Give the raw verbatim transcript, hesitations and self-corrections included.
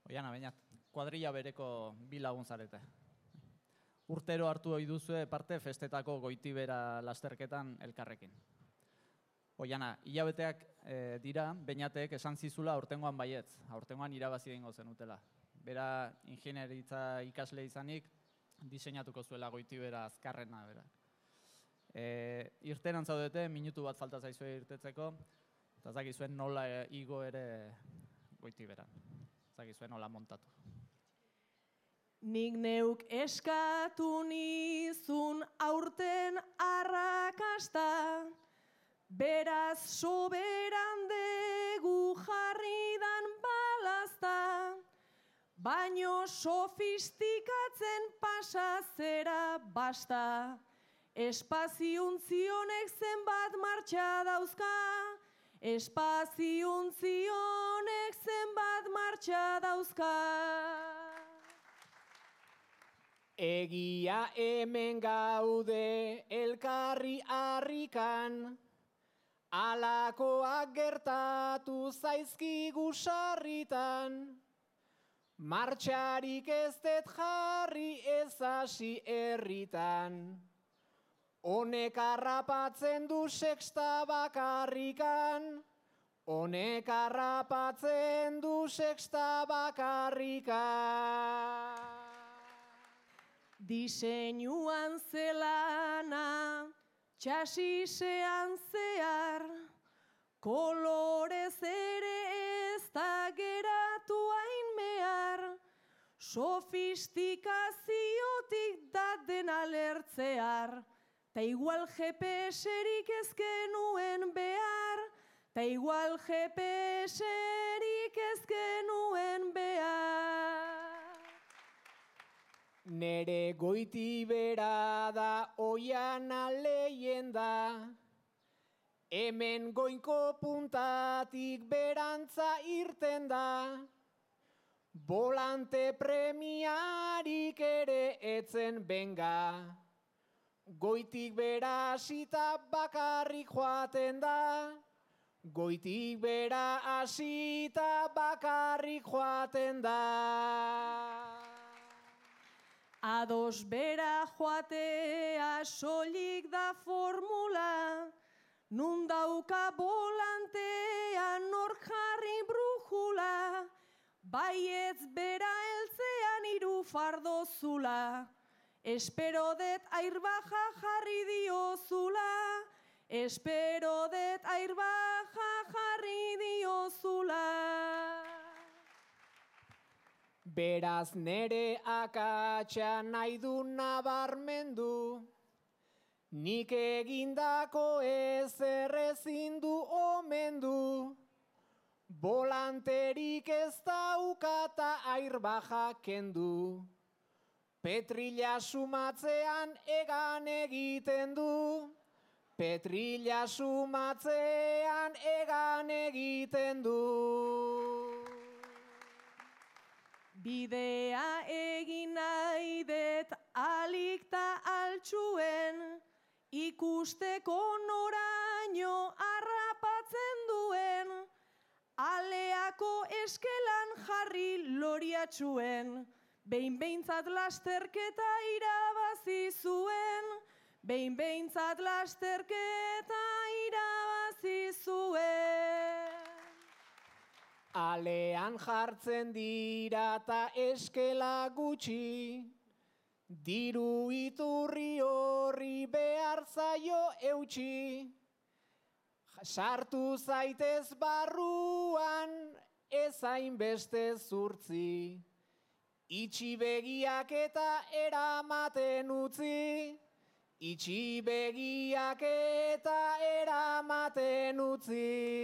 Oiana, bainat, kuadrilla bereko bi lagun zarete. Urtero hartu ohi duzue parte festetako Goitibera lasterketan elkarrekin. Oiana, hilabeteak e, dira, bainatek esan zizula aurtengoan baietz, aurtengoan irabazi egingo zenutela. Bera, ingenieritza ikasle izanik, diseinatuko zuela Goitibera azkarrena, bera. E, irteran zaudete, minutu bat falta zaizue irtetzeko, eta zakizuen nola igo ere Goitiberan. Zakizuen nola montatu. Nik neuk eskatu nizun aurten arrakasta, beraz soberan degu jarridan balazta, baino sofistikatzen pasazera basta, espaziontzionek zenbat martxa dauzka, espaziontzionek zenbat martxa dauzka. Egia hemen gaude elkarri harrikan, alakoak gertatu zaizkigu sarritan, martxarik ez dut jarri ez hasi herritan, honek harrapatzen du sexta bakarrikan, honek harrapatzen du sexta bakarrikan. Diseinuan zelana, txasisean zehar, kolorez ere ez da geratu hain mehar, sofistikaziotik da dena lertzear, ta igual G P S-erik ez genuen behar, ta igual G P S-erik ez genuen behar. Nere Goitibera da Oiana leyenda, hemen goinko puntatik berantza irten da, volante premiarik ere etzen benga, goitik bera hasita bakarrik joaten da, goitik bera hasita bakarrik joaten da. Ados bera joatea soilik da formula, nun dauka volantea nor jarri brujula, baietz bera heltzean hiru fardo zula, espero det airbaja jarri diozula, espero det airbaja jarri diozula. Beraz nere akatsa nahi du nabarmendu, nik egindako ezer ezin du omendu, volanterik ez daukata airbaja kendu, petrila sumatzean egan egiten du, petrila sumatzean egan egiten du. Bidea egin nahi det alik ta altxuen, ikusteko noraino harrapatzen duen, aleako eskelan jarri loriatxuen, behin behintzat lasterketa irabazi zuen, behin behintzat lasterketa irabazi zuen. Alean jartzen dira ta eskela gutxi, diru iturri horri behar zaio eutxi, sartu zaitez barruan ez hainbeste zurtzi, itxi begiak eta eramaten utzi, itxi begiak eta eramaten utzi.